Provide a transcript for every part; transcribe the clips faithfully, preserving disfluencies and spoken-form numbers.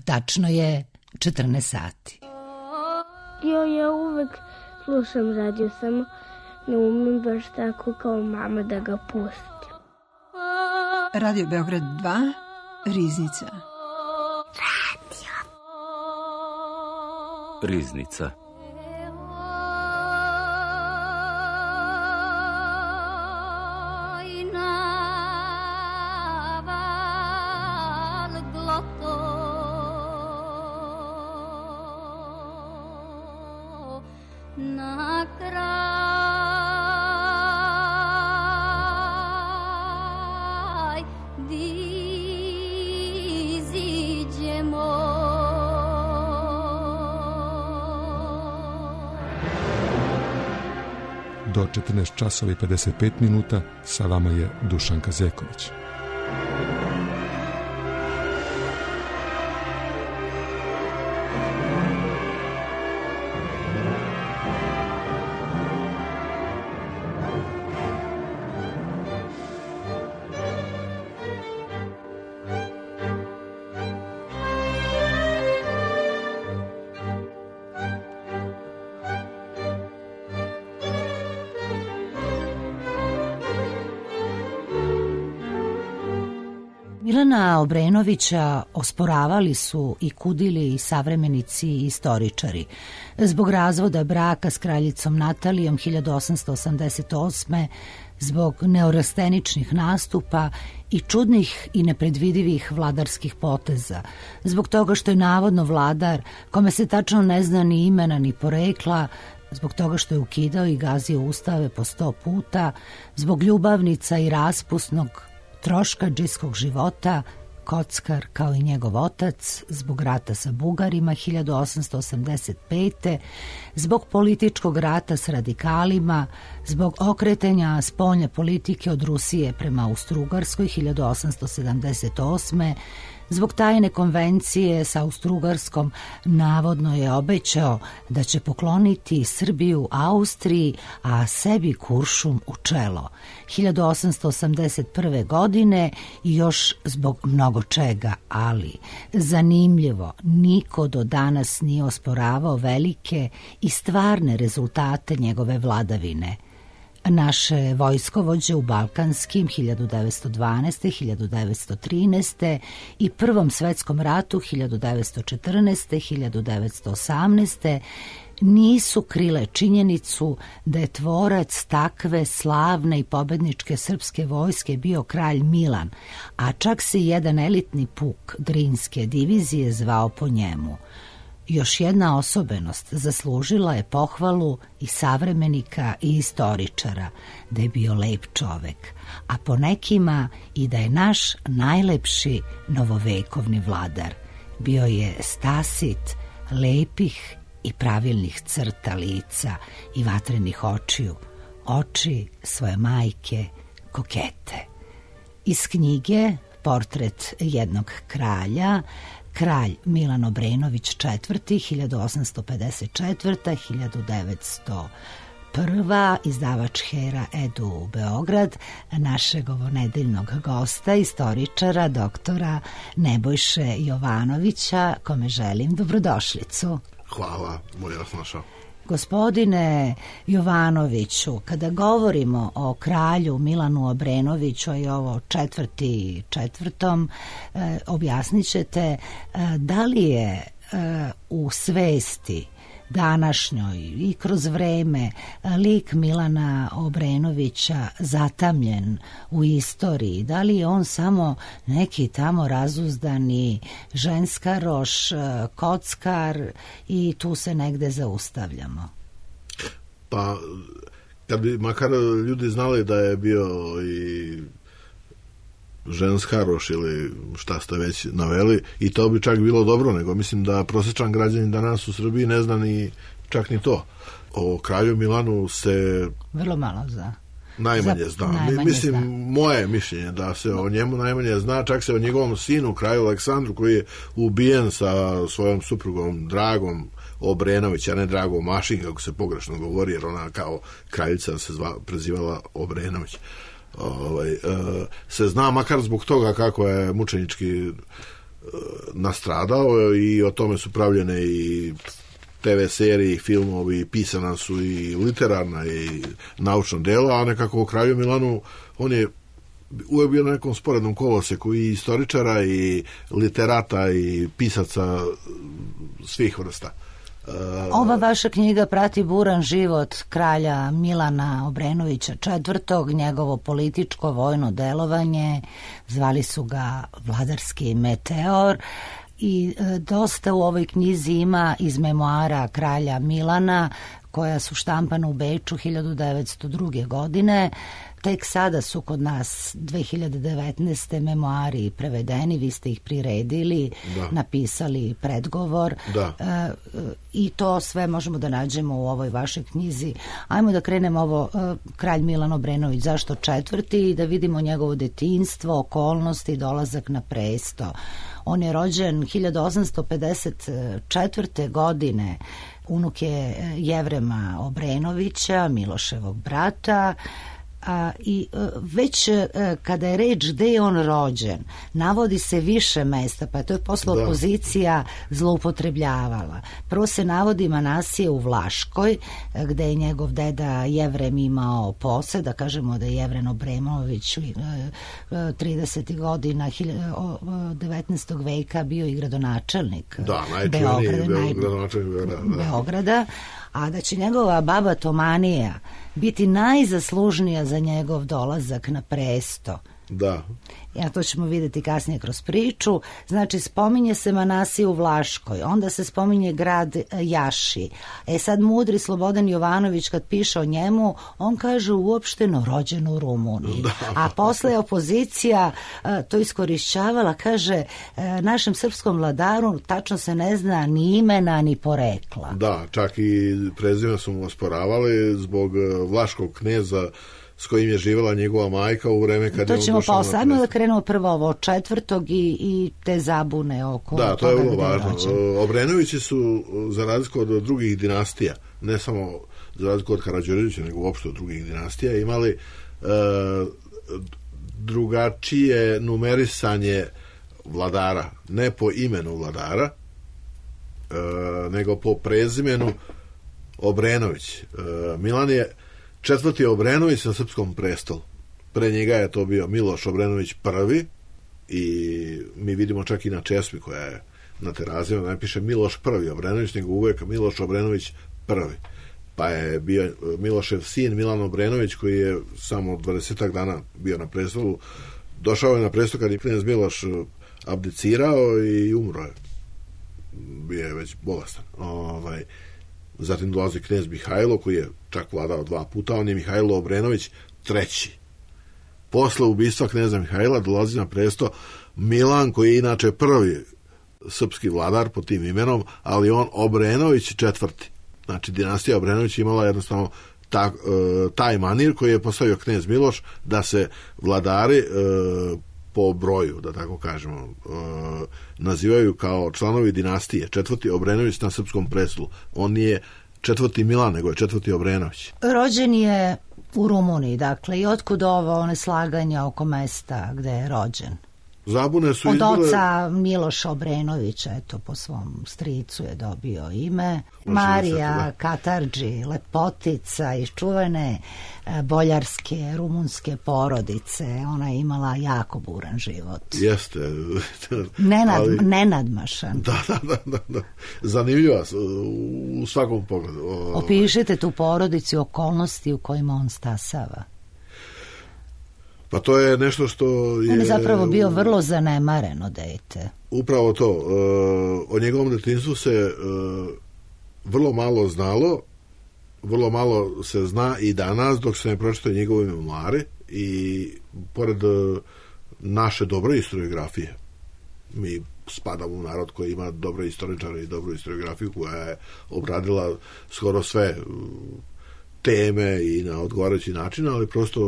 Tačno je četrnaest sati. Jo, ja uvek slušam radio, samo ne umem baš tako kao mama da ga pustim. Radio Beograd dva, Riznica. Radio. Riznica. Do četrnaest časova i pedeset pet minuta sa vama je Dušan Kazeković. Milana Obrenovića osporavali su i kudili i savremenici i istoričari. Zbog razvoda braka s kraljicom Natalijom hiljadu osamsto osamdeset osme, zbog neorasteničnih nastupa i čudnih i nepredvidivih vladarskih poteza, zbog toga što je navodno vladar, kome se tačno ne zna ni imena ni porekla, zbog toga što je ukidao i gazio ustave po sto puta, zbog ljubavnica i raspusnog troškadžijskog života, kockar kao i njegov otac, zbog rata sa Bugarima hiljadu osamsto osamdeset pete, zbog političkog rata s radikalima, zbog okretanja spoljne politike od Rusije prema Austrougarskoj hiljadu osamsto sedamdeset osme, zbog tajne konvencije sa Austrougarskom navodno je obećao da će pokloniti Srbiju Austriji, a sebi Kuršum u čelo. hiljadu osamsto osamdeset prve godine i još zbog mnogo čega, ali zanimljivo, niko do danas nije osporavao velike i stvarne rezultate njegove vladavine. Naše vojskovođe u Balkanskim hiljadu devetsto dvanaeste. hiljadu devetsto trinaeste. i Prvom svetskom ratu hiljadu devetsto četrnaeste. hiljadu devetsto osamnaeste. nisu krile činjenicu da je tvorac takve slavne i pobedničke srpske vojske bio kralj Milan, a čak se jedan elitni puk Drinske divizije zvao po njemu. Još jedna osobenost zaslužila je pohvalu i savremenika i istoričara, da je bio lep čovek, a po nekima i da je naš najlepši novovekovni vladar. Bio je stasit, lepih i pravilnih crta lica i vatrenih očiju, oči svoje majke, kokete. Iz knjige Portret jednog kralja, kralj Milan Obrenović četvrti. hiljadu osamsto pedeset četvrta. do hiljadu devetsto prva. izdavač Hera Edu Beograd, našeg ovonedeljnog gosta, istoričara, doktora Nebojše Jovanovića, kome želim dobrodošlicu. Hvala, bolje vas našao. Gospodine Jovanoviću, kada govorimo o kralju Milanu Obrenoviću i ovo četvrti četvrtom, eh, objasnit ćete eh, da li je eh, u svesti današnjoj i kroz vreme lik Milana Obrenovića zatamljen u istoriji, da li je on samo neki tamo razuzdani ženskaroš, kockar i tu se negde zaustavljamo? Pa, kad bi makar ljudi znali da je bio i ženskaroš ili šta ste već naveli, i to bi čak bilo dobro, nego mislim da prosječan građanin danas u Srbiji ne zna ni čak ni to. O kralju Milanu se vrlo malo zna. Najmanje Za, zna. Najmanje mislim, zna. Moje mišljenje da se o njemu najmanje zna, čak se o njegovom sinu, kralju Aleksandru, koji je ubijen sa svojom suprugom Dragom Obrenović, a ne Dragom Mašin, kako se pogrešno govori, jer ona kao kraljica se zva, prezivala Obrenović. Ovaj, e, se zna makar zbog toga kako je mučenički nastradao i o tome su pravljene i te ve serije i filmovi, pisana su i literarna i naučna dela, a nekako u Kralju Milanu on je uvijek bio na nekom sporednom koloseku i istoričara i literata i pisaca svih vrsta. Ova vaša knjiga prati buran život kralja Milana Obrenovića četvrtog, njegovo političko vojno delovanje, zvali su ga Vladarski meteor, i dosta u ovoj knjizi ima iz memoara kralja Milana, koja su štampana u Beču hiljadu devetsto druge. godine. Tek sada su kod nas dve hiljade devetnaeste. memoari prevedeni, vi ste ih priredili, da. napisali predgovor da. E, i to sve možemo da nađemo u ovoj vašoj knjizi. Ajmo da krenemo ovo, e, kralj Milan Obrenović, zašto četvrti, i da vidimo njegovo detinjstvo, okolnosti, dolazak na presto. On je rođen hiljadu osamsto pedeset četvrte. godine, unuk je Jevrema Obrenovića, Miloševog brata. A, i a, već a, kada je reč gde je on rođen, navodi se više mesta, pa to je posle da. opozicija zloupotrebljavala. Prvo se navodi Manasije u Vlaškoj, gde je njegov deda Jevrem imao posed, da kažemo da je Jevren Obrenović tridesetih godina devetnaestog veka bio i gradonačelnik da, Beograda, naj... gradonačelnik da. Beograda, a da će njegova baba Tomanija biti najzaslužnija za njegov dolazak na presto. Da. Ja, to ćemo vidjeti kasnije kroz priču. Znači, spominje se Manasije u Vlaškoj, onda se spominje grad Jaši. E sad, mudri Slobodan Jovanović, kad piše o njemu, on kaže uopšteno rođen u Rumuniji. Da. A posle opozicija to iskorišćavala, kaže, našem srpskom vladaru tačno se ne zna ni imena, ni porekla. Da, čak i prezime su mu osporavali zbog vlaškog kneza s kojim je živjela njegova majka u vreme kad to je on ćemo došao pa na sadno da krenemo prvo ovo četvrtog i, i te zabune oko da, to je vrlo važno. Rođen. Obrenovići su, za razliku od drugih dinastija, ne samo za razliku od Karađorđevića, nego uopšte od drugih dinastija, imali e, drugačije numerisanje vladara, ne po imenu vladara, e, nego po prezimenu Obrenović. E, Milan je četvrti Obrenović na srpskom prestolu. Pre njega je to bio Miloš Obrenović prvi i mi vidimo čak i na česmi koja je na terazima, da ne piše Miloš prvi Obrenović, nego uvek Miloš Obrenović prvi. Pa je bio Milošev sin Milan Obrenović, koji je samo dvadesetak dana bio na prestolu. Došao je na prestol kad je knez Miloš abdicirao i umro je. Bio je već bolestan. Ovaj Zatim dolazi knez Mihajlo, koji je čak vladao dva puta, on je Mihajlo Obrenović treći. Posle ubistva kneza Mihajla dolazi na presto Milan, koji je inače prvi srpski vladar pod tim imenom, ali on Obrenović četvrti. Znači, dinastija Obrenović imala jednostavno ta, taj manir koji je postavio knez Miloš, da se vladari po broju, da tako kažemo, nazivaju kao članovi dinastije. Četvrti Obrenović na srpskom prestolu. On nije četvrti Milan, nego je četvrti Obrenović. Rođen je u Rumuniji, dakle, i otkud ovo neslaganja oko mesta gde je rođen? Zabune su od izbile... oca Miloša Obrenovića, eto, po svom stricu je dobio ime. Marija Katarđi, lepotica iz čuvene boljarske, rumunske porodice. Ona je imala jako buran život. Jeste. Nenad, ali... Nenadmašan. Da, da, da, da, da. Zanimljiva u svakom pogledu. O... Opišite tu porodicu i okolnosti u kojima on stasava. Pa to je nešto što je... On je zapravo bio vrlo zanemareno dete. Upravo to. O njegovom detinjstvu se vrlo malo znalo, vrlo malo se zna i danas dok se ne pročitaju njegove memoare i pored naše dobre historiografije. Mi spadamo u narod koji ima dobre istoričare i dobru historiografiju koja je obradila skoro sve teme i na odgovarajući način, ali prosto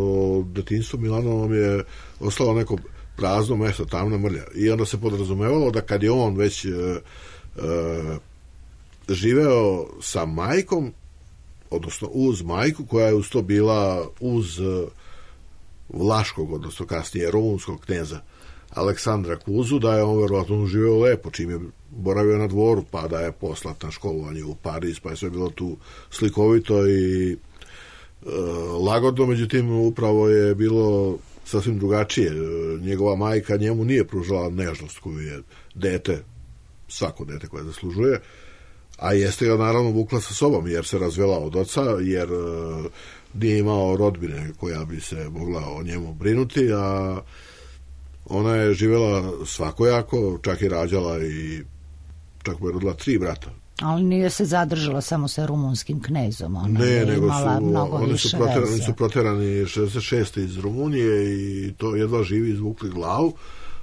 detinjstvo Milanovom je ostalo neko prazno mesto, tamna mrlja. I onda se podrazumevalo da kad je on već e, e, živeo sa majkom, odnosno uz majku, koja je uz to bila uz vlaškog, odnosno kasnije rumunskog kneza Aleksandra Kuzu, da je on verovatno živeo lepo, čim je boravio na dvoru, pa da je poslat na školovanje u Pariz, pa je sve bilo tu slikovito i e, lagodno, međutim upravo je bilo sasvim drugačije. Njegova majka njemu nije pružala nežnost koju je dete, svako dete koje zaslužuje, a jeste ga naravno vukla sa sobom, jer se razvela od oca, jer e, nije imao rodbine koja bi se mogla o njemu brinuti, a ona je živjela svakojako, čak i rađala i čak mu je rodila tri brata. Ali nije se zadržala samo sa rumunskim knezom, ona ne, je nego imala su, mnogo oni više su proterani, veze. Oni su proterani šezdeset šeste iz Rumunije i to jedva živi izvukli glavu,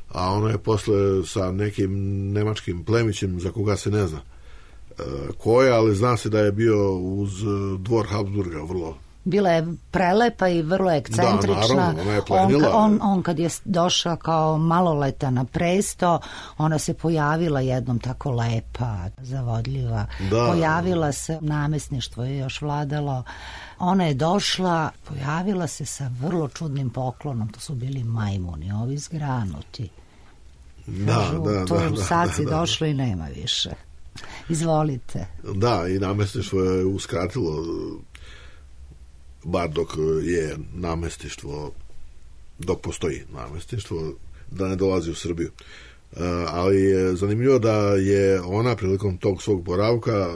a ona je posle sa nekim nemačkim plemićem za koga se ne zna e, ko je, ali zna se da je bio uz dvor Habsburga vrlo. Bila je prelepa i vrlo ekscentrična. Da, naravno, ona je on, on, on kad je došao kao maloleta na presto, ona se pojavila jednom tako lepa, zavodljiva. Da. Pojavila se, namestništvo je još vladalo. Ona je došla, pojavila se sa vrlo čudnim poklonom. To su bili majmuni, ovi zgranuti. Da, Kažu, da, to da, da, sad si da, da. došlo i nema više. Izvolite. Da, i namestništvo je uskratilo, bar dok je namestištvo, dok postoji namestištvo, da ne dolazi u Srbiju. Uh, ali je zanimljivo da je ona prilikom tog svog boravka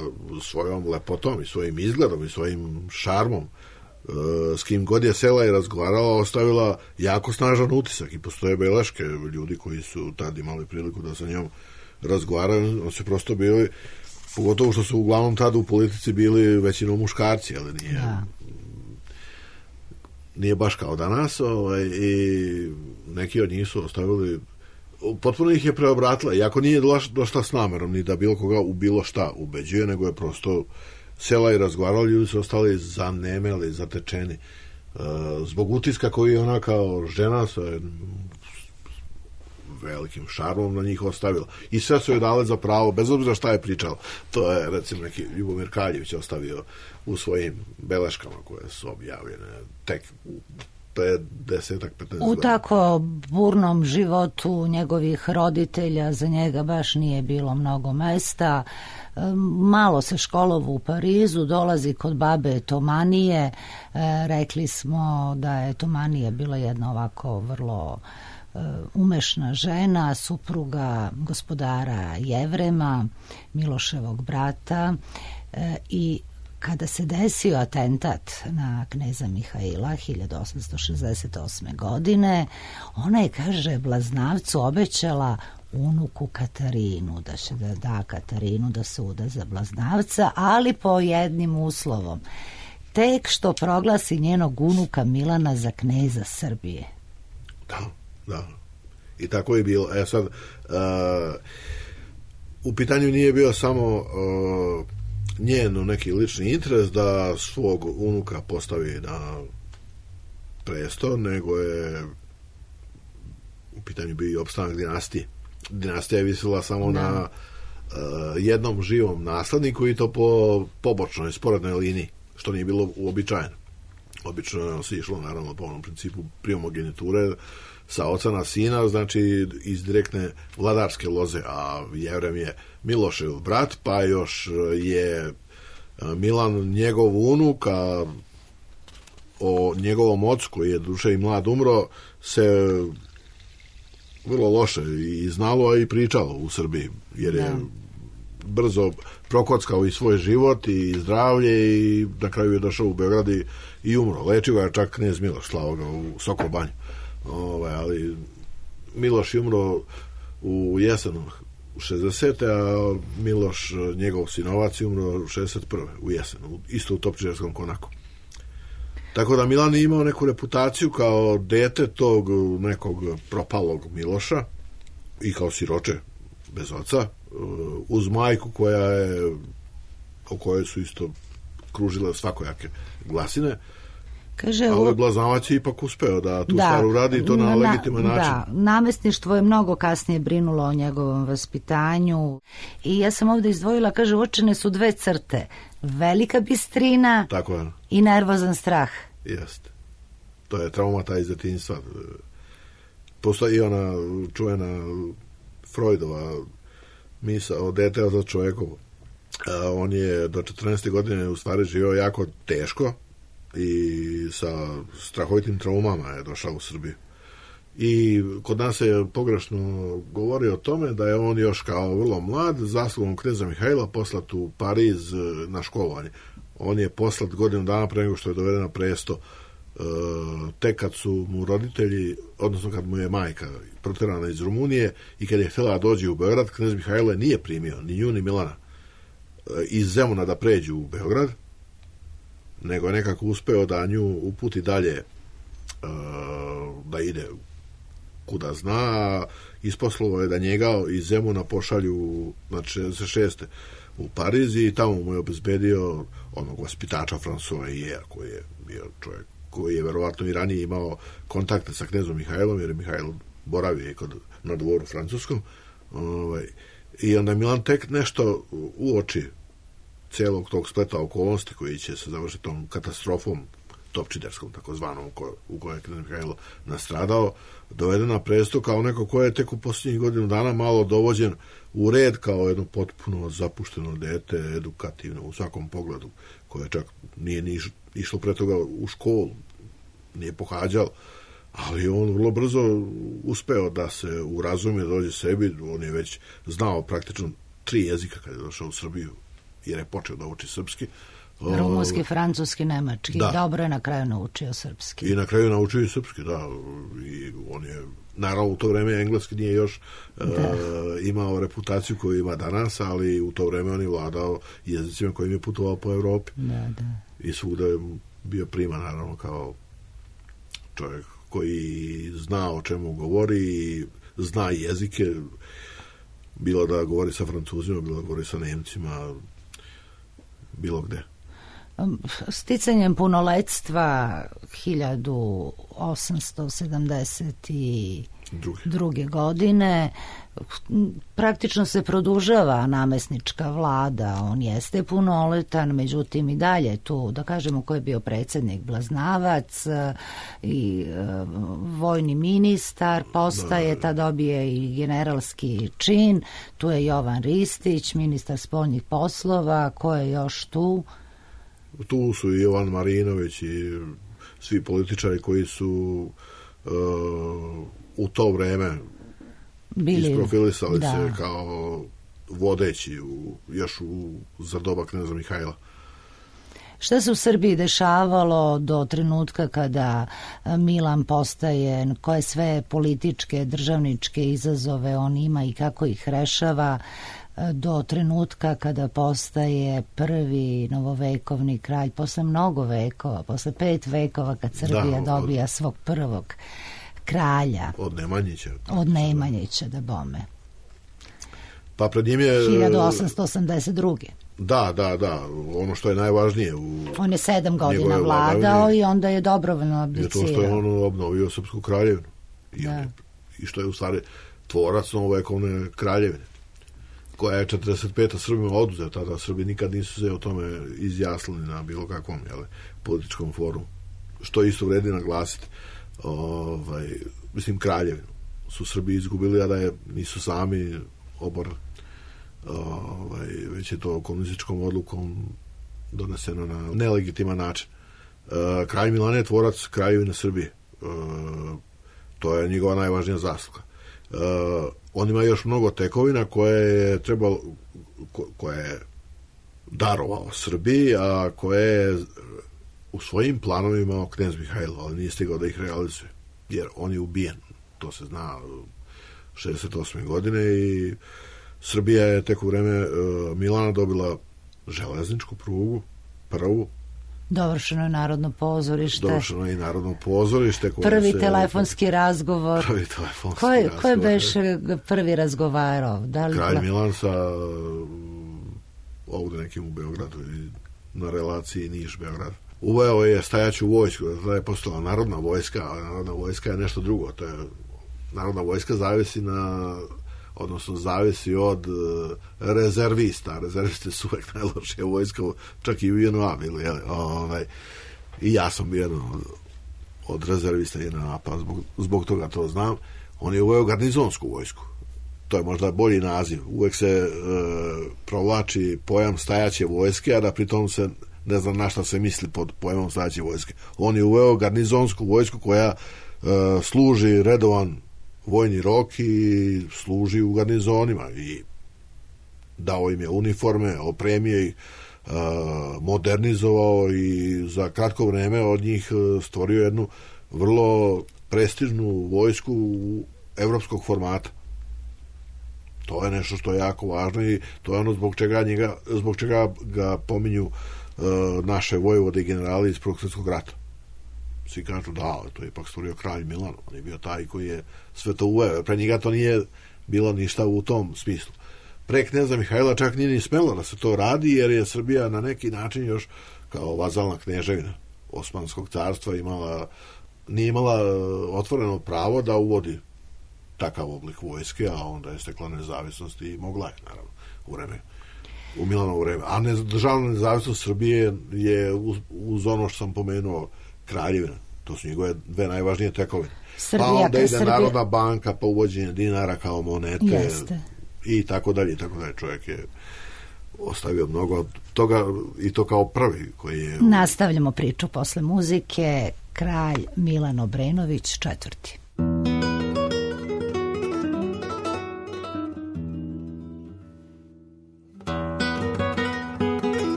svojom lepotom i svojim izgledom i svojim šarmom uh, s kim god je sela i razgovarala, ostavila jako snažan utisak i postoje beleške ljudi koji su tad imali priliku da sa njom razgovaraju. On se prosto bili, pogotovo što su uglavnom tada u politici bili većinom muškarci, ali nije... Da. Nije baš kao danas, ovaj, i neki od njih su ostavili, potpuno ih je preobratila, iako nije došla s namerom ni da bilo koga u bilo šta ubeđuje, nego je prosto sela i razgovarala, ljudi su ostali zanemeli, zatečeni, uh, zbog utiska koji je ona kao žena sa velikim šarmom na njih ostavila. I sve su joj dale za pravo, bez obzira šta je pričala. To je, recimo, neki Ljubomir Kaljević ostavio u svojim beleškama koje su objavljene tek pre desetak, petnaest godina. U tako burnom životu njegovih roditelja za njega baš nije bilo mnogo mesta. Malo se školovo u Parizu, dolazi kod babe Tomanije. Rekli smo da je Tomanija bila jedna ovako vrlo umešna žena, supruga gospodara Jevrema, Miloševog brata, i kada se desio atentat na kneza Mihaila hiljadu osamsto šezdeset osme. godine, ona je, kaže, Blaznavcu obećala unuku Katarinu, da će da da Katarinu da se uda za Blaznavca, ali po jednim uslovom. Tek što proglasi njenog unuka Milana za kneza Srbije. Da, da. I tako je bilo. E sad, uh, u pitanju nije bio samo uh, njeno neki lični interes da svog unuka postavi na presto, nego je u pitanju bio i opstanak dinastije. Dinastija je visila samo da. na uh, jednom živom nasledniku i to po pobočnoj, sporednoj liniji, što nije bilo uobičajeno. Obično se išlo naravno po onom principu primogeniture sa oca na sina, znači iz direktne vladarske loze, a Jevrem je Milošev brat, pa još je Milan njegov unuk, a o njegovom ocu, koji je duše i mlad umro, se vrlo loše i znalo, a i pričalo u Srbiji, jer je da. brzo prokockao i svoj život i zdravlje i na kraju je došao u Beograd i, i umro. Lečio ga čak knez Miloš, slao ga u Sokobanju. Ovaj, ali Miloš je umro u jesenu u šezdeset. a Miloš, njegov sinovac, je umro u šezdeset prve u jesenu, isto u Topčiderskom konaku. Tako da Milan je imao neku reputaciju kao dete tog nekog propalog Miloša i kao siroče bez oca, uz majku koja je, o kojoj su isto kružile svakojake glasine. Kaže, ali Blaznavac je ipak uspeo da tu da, stvar uradi i to na, na legitiman način. Da, namestništvo je mnogo kasnije brinulo o njegovom vaspitanju i ja sam ovdje izdvojila, kaže, uočene su dve crte, velika bistrina tako je. I nervozan strah. Jeste. To je traumata iz djetinjstva. Postoji i ona čuvena Freudova misao, dete od čovjekovo. On je do četrnaeste godine u stvari živio jako teško i sa strahovitim traumama je došao u Srbiju. I kod nas se pogrešno govori o tome da je on još kao vrlo mlad zaslugom kneza Mihajla poslat u Pariz na školovanje. On je poslat godinu dana pre nego što je doveden na presto, tek kad su mu roditelji, odnosno kad mu je majka proterana iz Rumunije i kad je htjela da dođe u Beograd, knez Mihajlo nije primio ni nju ni Milana iz Zemuna da pređu u Beograd, nego je nekako uspeo da nju uputi dalje, da ide kuda zna. Isposlovo je da njega iz Zemuna pošalju na šezdeset šeste u Pariz i tamo mu je obezbedio onog vaspitača François Ier, koji je bio čovjek koji je verovatno i ranije imao kontakte sa knezom Mihajlom, jer je Mihajlo boravio kod, na dvoru francuskom. Ovaj, I onda Milan tek nešto uoči cijelog tog spleta okolnosti koji će se završiti tom katastrofom topčiderskom, takozvanom, u kojoj je knez Mihajlo nastradao, doveden na presto kao neko ko je tek u posljednjih godinu dana malo dovođen u red kao jedno potpuno zapušteno dete, edukativno u svakom pogledu, koje čak nije ni išlo pre toga u školu, nije pohađalo, ali on vrlo brzo uspeo da se urazumije, dođe sebi. On je već znao praktično tri jezika kad je došao u Srbiju, jer je počeo da uči srpski. Rumunski, francuski, nemački. Da. Dobro je na kraju naučio srpski. I na kraju naučio i srpski, da. I on je, naravno, u to vreme engleski nije još uh, imao reputaciju koju ima danas, ali u to vreme on je vladao jezicima kojim je putovao po Evropi. Da, da. I svuda je bio prima, naravno, kao čovjek koji zna o čemu govori, zna jezike, bilo da govori sa Francuzima, bilo da govori sa Nemcima, bilo gde. Sticanjem punoletstva hiljadu osamsto sedamdeset druge godine praktično se produžava namesnička vlada. On jeste punoletan, međutim i dalje tu, da kažemo, ko je bio predsjednik, Blaznavac i uh, vojni ministar postaje, da, ta dobije i generalski čin. Tu je Jovan Ristić, ministar spoljnih poslova. Ko je još tu? Tu su i Jovan Marinović i svi političari koji su uh, u to vreme bili, isprofilisali da. se kao vodeći u, još u, za doba kneza Mihajla. Šta se u Srbiji dešavalo do trenutka kada Milan postaje, koje sve političke, državničke izazove on ima i kako ih rešava, do trenutka kada postaje prvi novovekovni kralj, posle mnogo vekova, posle pet vekova kad Srbija da, dobija od, svog prvog kralja. Od Nemanjića. Od Nemanjića, da bome. Pa pred njim je... hiljadu osamsto osamdeset druge. Da, da, da. Ono što je najvažnije u... On je sedam godina vladao i onda je dobrovoljno abdicirao. Je to što je on obnovio Srpsku kraljevinu. I, je, I što je u stvari tvorac novovekovne kraljevine, koja je četrdeset pete Srbima oduzeta, tada Srbi nikad nisu se o tome izjasnili na bilo kakvom, jel, političkom forumu. Što isto vredi naglasiti. Ovaj, mislim, kraljevinu su Srbi izgubili, a da je nisu sami oborili. Ovaj, već je to komunističkom odlukom doneseno na nelegitiman način. E, kralj Milan je tvorac kraljevine Srbije. E, to je njegova najvažnija zasluga. E, on ima još mnogo tekovina koje je trebalo, ko, koje je darovao Srbiji, a koje je u svojim planovima imao knez Mihajlo, ali nije stigao da ih realizuje, jer on je ubijen, to se zna, šezdeset osme godine, i Srbija je tek u vreme uh, Milana dobila železničku prugu, prvu. Dovršeno je Narodno pozorište. Dovršeno je i Narodno pozorište. Prvi se, telefonski razgovor. Prvi telefonski ko je, razgovor. Ko je beše prvi razgovarao? Da li Kralj da... Milan sa ovdje nekim u Beogradu, na relaciji Niš-Beograd. Uveo je stajaću vojsku, da je postala narodna vojska, a narodna vojska je nešto drugo. To je, narodna vojska zavisi na... odnosno zavisi od uh, rezervista. Rezervisti su uvek najlošija vojska, čak i u J N A bili. Ovaj, I ja sam bio jedan od, od rezervista je napad, zbog, zbog toga to znam. On je uveo garnizonsku vojsku. To je možda bolji naziv. Uvek se e, provlači pojam stajaće vojske, a da pritom se ne znam na šta se misli pod pojmom stajaće vojske. On je uveo garnizonsku vojsku koja e, služi redovan vojni rok i služi u garnizonima i dao im je uniforme, opremio ih, e, modernizovao i za kratko vreme od njih stvorio jednu vrlo prestižnu vojsku evropskog formata. To je nešto što je jako važno i to je ono zbog čega, njega, zbog čega ga pominju uh, naše vojvode i generali iz Prvog svjetskog rata. Svi kažu da, to je ipak stvorio kralj Milan, on je bio taj koji je sve to uveo. Pre njega to nije bilo ništa u tom smislu. Pre kneza Mihajla čak nije ni smelo da se to radi, jer je Srbija na neki način još kao vazalna kneževina Osmanskog carstva imala, nije imala otvoreno pravo da uvodi takav oblik vojske, a onda je stekla nezavisnost i mogla je, naravno, u vreme, u Milanovo vreme. A ne, državna nezavisnost Srbije je uz, uz ono što sam pomenuo kraljevina. To su njegove dve najvažnije tekovine. Srbija, pa onda ide Srbija. Narodna banka, pa uvođenje dinara kao monete. Jeste. I tako dalje, i tako dalje. Čovjek je ostavio mnogo toga i to kao prvi koji je... Nastavljamo priču posle muzike. Kralj Milan Obrenović četvrti.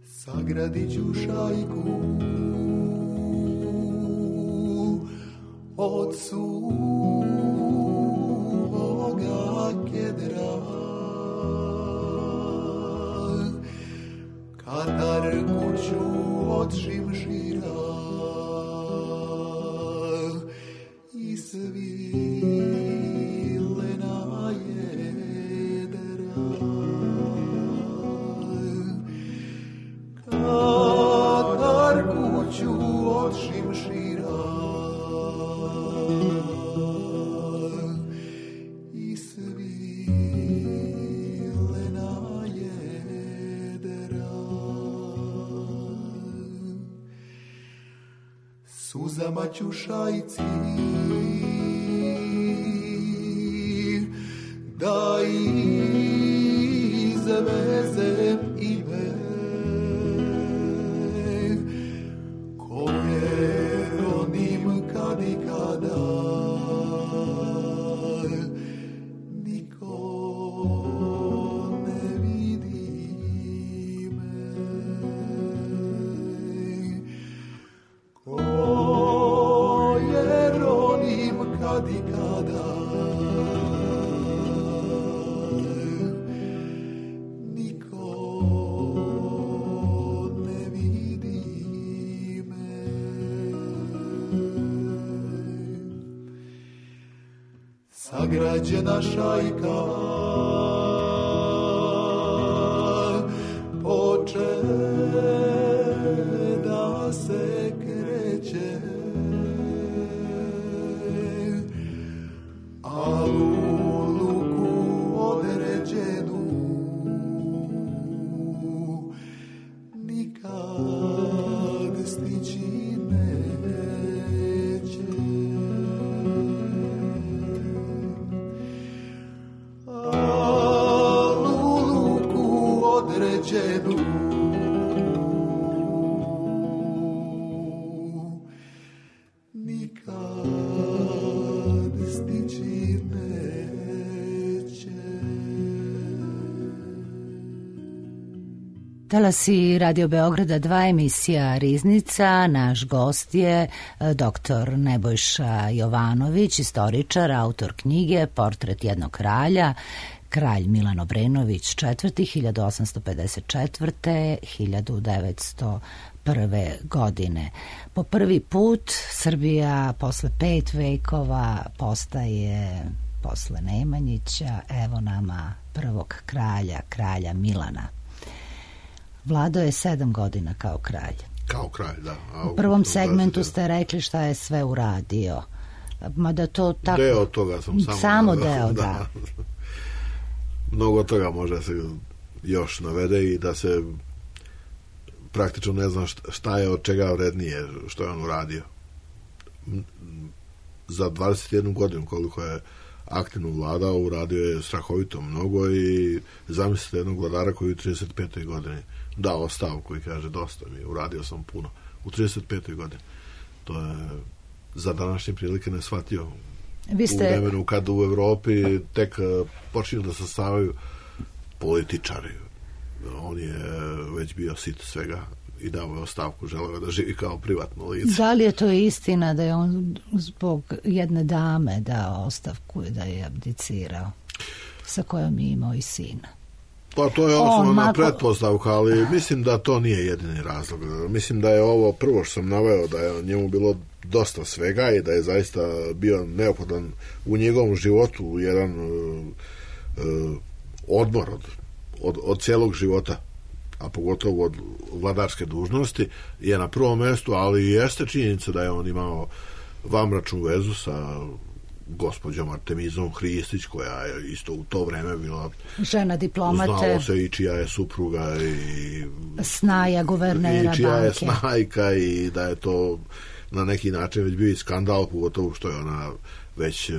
Sagradit ću šajku od suvoga kedra, Katar kuću od šimšira i svilena jedra. Katar kuću od šimšira i svilena jedra. Suzama ću šajci da izvezem ime koje ronim kad i kada niko ne vidi me, koje ronim kad i kada sagrađena šajka poče da se kreće, a u luku određenu nikad stići neće. Talasi Radio Beograda dva, emisija Riznica. Naš gost je doktor Nebojša Jovanović, istoričar, autor knjige Portret jednog kralja, kralj Milan Obrenović četvrti, hiljadu osamsto pedeset četvrte do hiljadu devetsto prve. godine. Po prvi put Srbija posle pet vekova postaje, posle Nemanjića, evo nama prvog kralja, kralja Milana. Vladao je sedam godina kao kralj. Kao kralj, da. A u prvom segmentu ste rekli šta je sve uradio. Mada to tako... Deo toga sam samo... Samo deo, da. da. Mnogo toga može se još navede i da se praktično ne znam šta je od čega vrednije što je on uradio. Za dvadeset jednu godinu koliko je aktivno vladao, uradio je strahovito mnogo i zamislite jednog vladara koji u trideset petoj godini dao ostavku i kaže dosta mi, uradio sam puno. U trideset petoj godini. To je za današnje prilike neshvatio. Vi ste... U vremenu kad u Evropi tek počinju da se stavaju političari. On je već bio sit svega i dao je ostavku, želeo da živi kao privatno lice. Da li je to istina da je on zbog jedne dame dao ostavku i da je abdicirao, sa kojom je imao i sina? Pa to je osnovna mako... pretpostavka, ali mislim da to nije jedini razlog. Mislim da je ovo prvo što sam naveo, da je njemu bilo dosta svega i da je zaista bio neophodan u njegovom životu jedan uh, uh, odmor od, od, od cijelog života, a pogotovo od vladarske dužnosti, je na prvom mjestu, ali jeste činjenica da je on imao vanbračnu vezu sa gospođom Artemizom Hristić, koja je isto u to vreme bila žena diplomate, znalo se i čija je supruga i snaja guvernera i čija banke. Je snajka i da je to na neki način već bio i skandal, pogotovo što je ona već uh,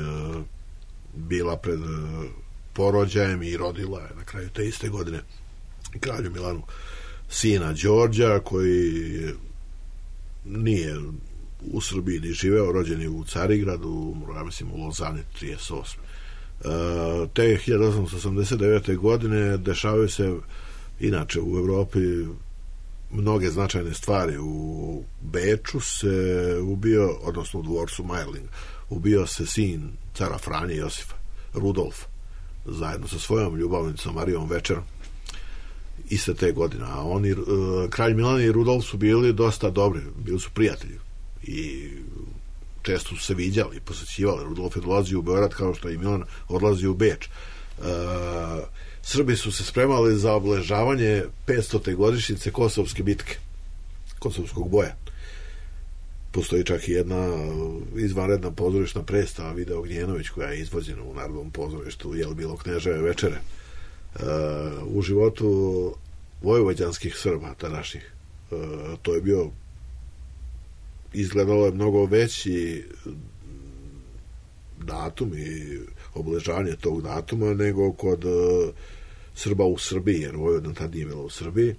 bila pred uh, porođajem i rodila je na kraju te iste godine kralju Milanu sina Đorđa, koji nije u Srbiji ni živeo, rođen je u Carigradu, ja mislim u Lozani trideset osme. Uh, te hiljadu osamsto osamdeset devete. godine dešavaju se inače u Evropi mnoge značajne stvari. U Beču se ubio, odnosno u dvorcu Majling, ubio se sin cara Franje Josifa, Rudolf, zajedno sa svojom ljubavnicom Marijom Večerom, iste te godine. A oni, uh, kralj Milan i Rudolf su bili dosta dobri, bili su prijatelji i često su se viđali, posjećivali. Rudolf je dolazio u Beograd kao što i Milan odlazi u Beč. Uh, Srbi su se spremali za obeležavanje petstote godišnjice Kosovske bitke, Kosovskog boja. Postoji čak i jedna izvanredna pozorišna predstava Video Gnjenović, koja je izvođena u Narodnom pozorištu Jel bilo Kneževe večere. Uh, u životu vojvođanskih Srba tadašnjih uh, to je bio, izgledalo je mnogo veći datum i obeležavanje tog datuma nego kod uh, Srba u Srbiji, jer Vojvodina tad nije bila u Srbiji.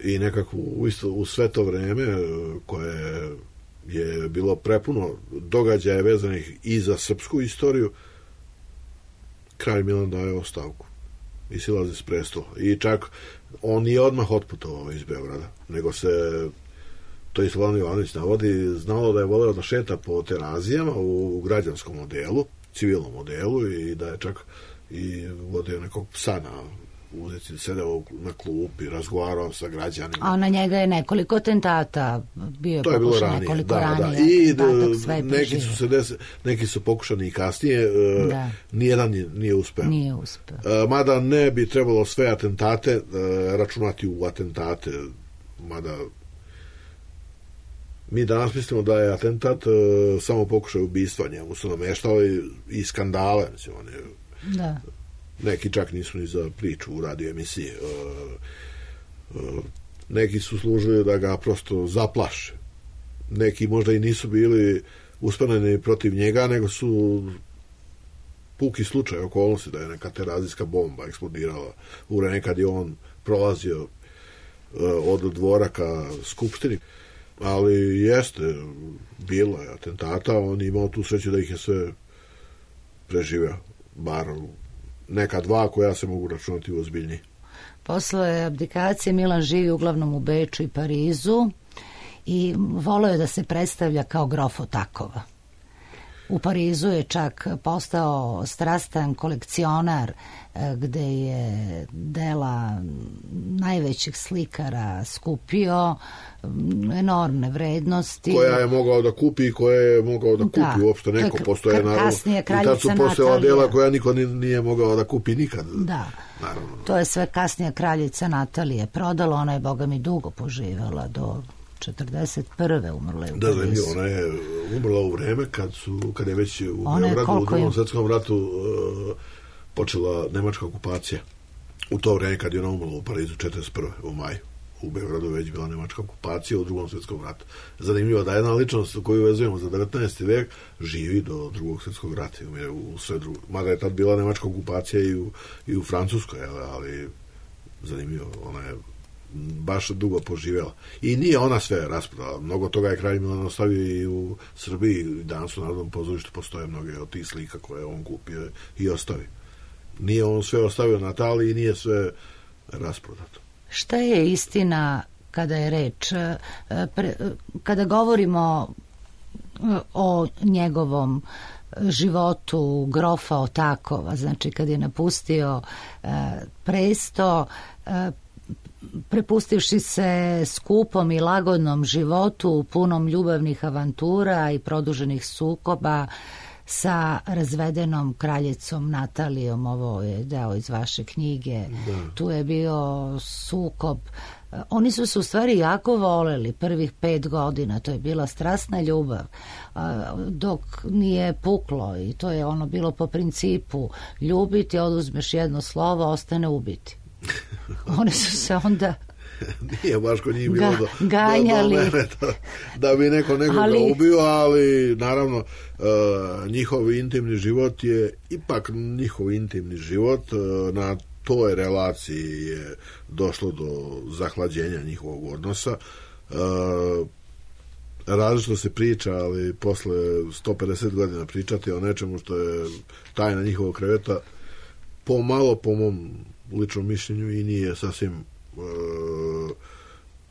I nekako u, isto, u sve to vreme koje je bilo prepuno događaja vezanih i za srpsku istoriju, kralj Milan daje ostavku i silazi s prestola. I čak on nije odmah otputovao iz Beograda, nego se, to je Slovan Jovanović navodi, znalo da je voleo da šeta po terazijama u građanskom modelu, civilnom modelu, i da je čak i vodio nekog psa na ulici, sedeo na klupi, razgovarao sa građanima. A na njega je nekoliko atentata bio, to je bilo ranije, nekoliko da, ranije. Da. I da, neki su se des, neki su pokušani i kasnije, da. Nijedan nije, nije uspeo. Nije uspeo. Mada ne bi trebalo sve atentate računati u atentate, mada mi danas mislimo da je atentat samo pokušaj ubistva, njemu su nameštali i skandale, mislim, on je, da. Neki čak nisu ni za priču u radio emisiji. Neki su služili da ga prosto zaplaše. Neki možda i nisu bili usmjereni protiv njega, nego su puki slučaj okolnosti da je neka terazijska bomba eksplodirala u vreme kad je on prolazio od dvora ka skupštini. Ali jeste, bilo je atentata, on je imao tu sreću da ih je sve preživeo, bar neka dva koja se mogu računati u ozbiljniji. Posle abdikacije Milan živi uglavnom u Beču i Parizu i voleo je da se predstavlja kao grof Otakova. U Parizu je čak postao strastan kolekcionar gde je dela najvećih slikara skupio, enormne vrednosti. Koja je mogao da kupi i koje je mogao da kupi da, uopšte neko. Postoje naravno. I tad su postojala dela koja niko nije mogao da kupi nikad. Da, naravno. To je sve kasnija kraljica Natalija prodala, ona je boga mi dugo poživala do četrdeset prve umrla je u da, Parizu. Da, ona je umrla u vreme kad, su, kad je već u Beogradu u drugom svetskom ratu uh, počela nemačka okupacija. U to vreme kad je ona umrla u Parizu četrdeset prve u maju. U Beogradu već bila nemačka okupacija u drugom svetskom ratu. Zanimljivo da jedna ličnost koju vezujemo za devetnaesti vek živi do drugog svjetskog rata. U sve drugo. Mada je tad bila nemačka okupacija i u, i u Francuskoj, ali zanimljivo, ona je baš dugo poživjela. I nije ona sve rasprodala. Mnogo toga je kralj Milan ostavio i u Srbiji. Danas u Narodnom pozorištu postoje mnoge od tih slika koje on kupio i ostavi. Nije on sve ostavio Nataliji i nije sve rasprodato. Šta je istina kada je reč, kada govorimo o njegovom životu grofa Otakova, znači kad je napustio presto, prepustivši se skupom i lagodnom životu punom ljubavnih avantura i produženih sukoba sa razvedenom kraljicom Natalijom, ovo je deo iz vaše knjige, da. Tu je bio sukob. Oni su se u stvari jako voleli prvih pet godina, to je bila strasna ljubav, dok nije puklo i to je ono bilo po principu ljubiti, oduzmeš jedno slovo, ostane ubiti. Oni su se onda nije baš kod njih bilo Ga, do, ganjali. do, do mene da, da bi neko nekoga ali... ubio, ali naravno uh, njihov intimni život je ipak njihov intimni život, uh, na toj relaciji je došlo do zahlađenja njihovog odnosa. Uh, različito se priča, ali posle sto pedeset godina pričati o nečemu što je tajna njihovog kreveta pomalo, po mom ličnom mišljenju, i nije sasvim e,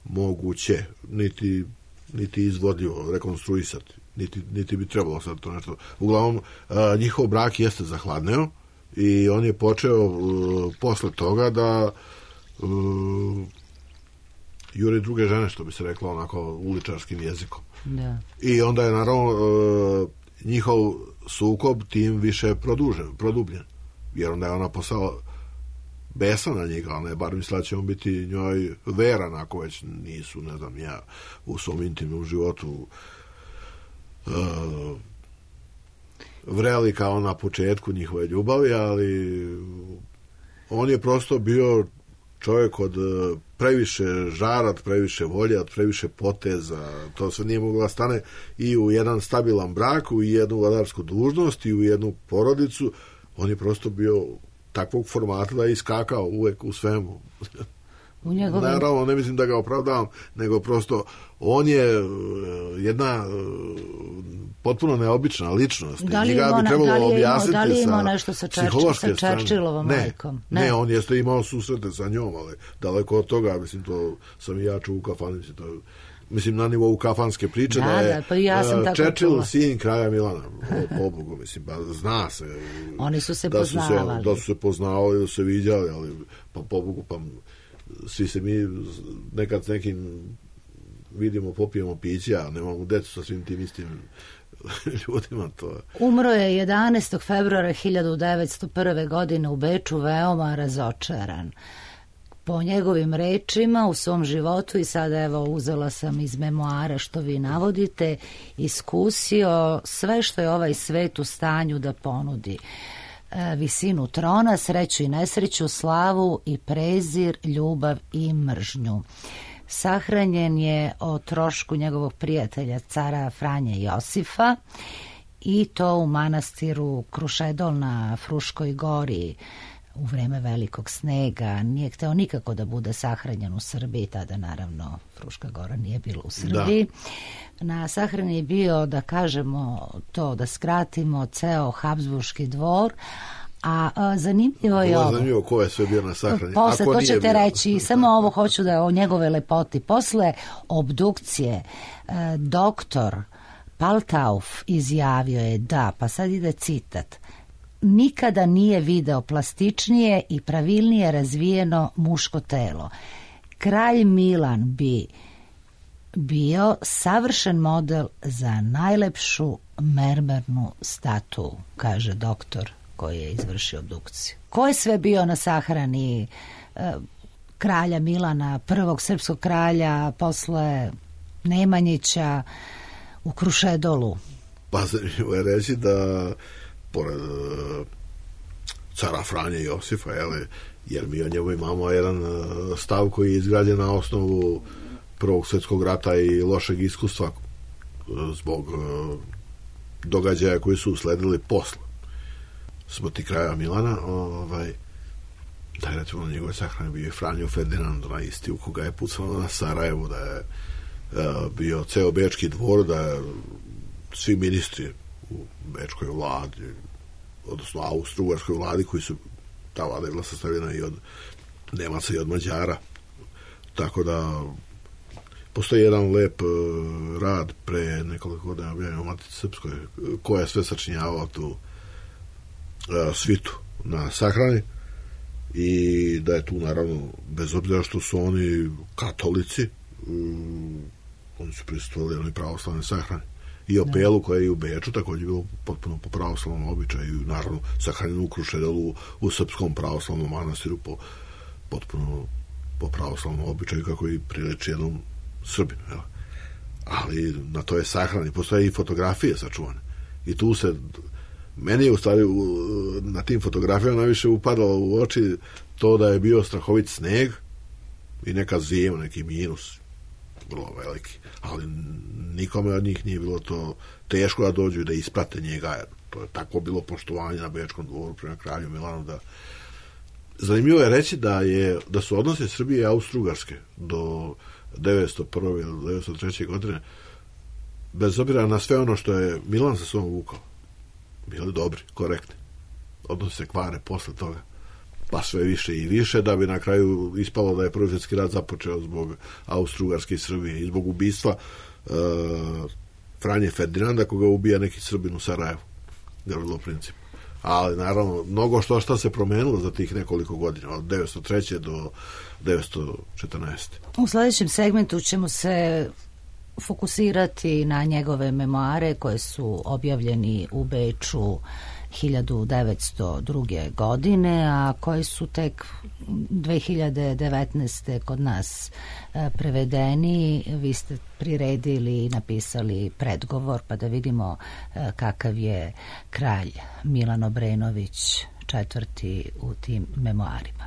moguće niti, niti izvodljivo rekonstruisati, niti, niti bi trebalo sad to nešto. Uglavnom, e, njihov brak jeste zahladneo i on je počeo e, posle toga da e, juri druge žene, što bi se reklo onako uličarskim jezikom. Da. I onda je naravno e, njihov sukob tim više produžen, produbljen, jer onda je ona postala besa na njega, ali ne, bar mislila će on biti njoj veran, ako već nisu, ne znam, ja u svom intimnom životu uh, vreli kao na početku njihove ljubavi, ali on je prosto bio čovjek od previše žara, od previše volje, od previše poteza, to sve nije moglo da stane i u jedan stabilan brak, u jednu vladarsku dužnost i u jednu porodicu. On je prosto bio takvog formata da je iskakao uvek u svemu. U njegovim... Naravno, ne mislim da ga opravdavam, nego prosto on je jedna potpuno neobična ličnost. Da li Njega bi trebalo da li objasniti da li imao sa nešto sa, sa Churchillovom majkom? Ne, ne, on jeste imao susrete sa njom, ali daleko od toga, mislim, to sam i ja čuo u kafani, mislim, to mislim, na nivou kafanske priče, da, da je da, pa ja sam uh, Churchill sin kralja Milana, pobogu, mislim, pa zna se. Oni su se da poznavali. Su se, da su se poznavali, da su se viđali, ali pa pobogu, pa svi se mi nekad s nekim vidimo, popijemo piće, a nemamo decu sa svim tim istim ljudima. To. Umro je jedanaestog februara hiljadu devetsto prve. godine u Beču, veoma razočaran. Po njegovim rečima u svom životu, i sada evo uzela sam iz memoara što vi navodite, iskusio sve što je ovaj svet u stanju da ponudi. E, visinu trona, sreću i nesreću, slavu i prezir, ljubav i mržnju. Sahranjen je o trošku njegovog prijatelja, cara Franje Josifa, i to u manastiru Krušedol na Fruškoj gori u vreme velikog snega. Nije hteo nikako da bude sahranjen u Srbiji, tada naravno Fruška gora nije bila u Srbiji. Da. Na sahrani je bio, da kažemo to, da skratimo, ceo Habsburški dvor, A, a zanimljivo je ovo. ovo. Zanimljivo ko je sve bio na sahrani. Posle, Ako to nije ćete bio. reći, samo ovo hoću da o njegove lepoti. Posle obdukcije, e, doktor Paltauf izjavio je da, pa sad ide citat, nikada nije video plastičnije i pravilnije razvijeno muško telo. Kralj Milan bi bio savršen model za najlepšu mermernu statu, kaže doktor koji je izvršio obdukciju. Ko je sve bio na sahrani e, kralja Milana, prvog srpskog kralja, posle Nemanjića u Krušedolu? Pa zanimljivo je reći da pored uh, cara Franje Josifa, jele, jer mi o njemu imamo jedan uh, stav koji je izgrađen na osnovu Prvog svjetskog rata i lošeg iskustva uh, zbog uh, događaja koji su usledili posle smrti kraja Milana, ovaj, da je recimo na njegove sahrane bio Franjo Ferdinand, na isti u koga je pucalo na Sarajevu, da je uh, bio ceo bečki dvor, da je svi ministri u bečkoj vladi, odnosno austro-ugarskoj vladi, koji su, ta vlada je bila sastavljena i od Nemaca i od Mađara, tako da postoji jedan lep uh, rad pre nekoliko godina objavljen u Matici Srpskoj, ko je sve sačinjavao tu uh, svitu na sahrani, i da je tu naravno, bez obzira što su oni katolici, um, oni su prisustvovali jednoj pravoslavnoj sahrani. I Opelu koja je u Beču također bilo potpuno po pravoslavnom običaju, naravno sahranjeno u Krušedelu u srpskom pravoslavnom manastiru po, potpuno po pravoslavnom običaju kako i priliči jednom Srbinu. Jel? Ali na to je sahrani, postoje i fotografije sačuvane. I tu se, meni je u stvari u, na tim fotografijama najviše upadalo u oči to da je bio strahovit sneg i neka zima, neki minus vrlo veliki, ali nikome od njih nije bilo to teško da dođu i da isprate njega. To je tako bilo poštovanje na Bečkom dvoru prema kralju Milanu. Da... Zanimljivo je reći da, je, da su odnose Srbije i Austro-Ugarske do devetsto prve ili devetsto treće godine, bez obzira na sve ono što je Milan sa sobom vukao, bili dobri, korektni. Odnose se kvare posle toga, pa sve više i više, da bi na kraju ispalo da je Prvi svjetski rat započeo zbog Austro-Ugarske i Srbije i zbog ubistva uh, Franje Ferdinanda, koga ubija neki Srbin u Sarajevu, Gavrilo Princip. Ali naravno, mnogo što šta se promenilo za tih nekoliko godina, od devetsto treće do devetsto četrnaeste. U sledećem segmentu ćemo se fokusirati na njegove memoare koje su objavljeni u Beču hiljadu devetsto druge. godine, a koji su tek dve hiljade devetnaeste. kod nas prevedeni. Vi ste priredili i napisali predgovor, pa da vidimo kakav je kralj Milan Obrenović četvrti u tim memoarima.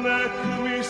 Nek mi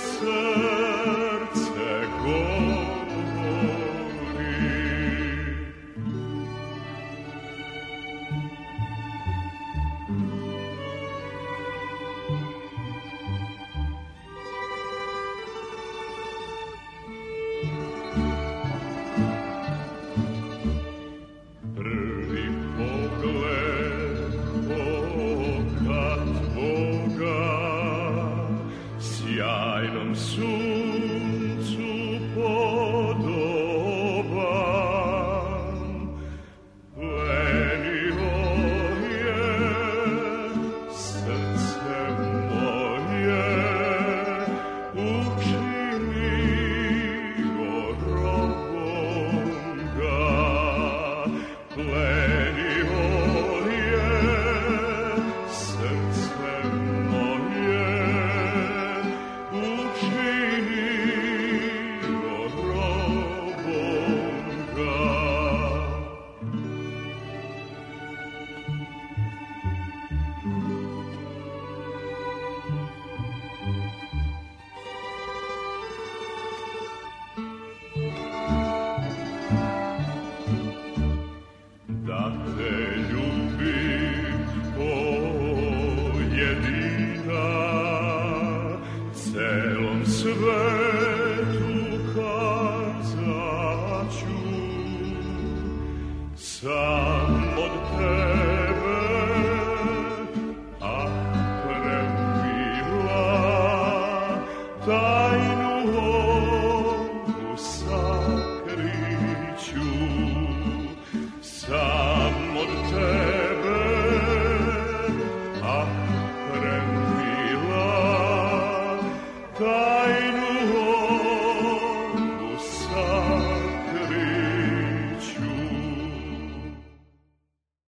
God.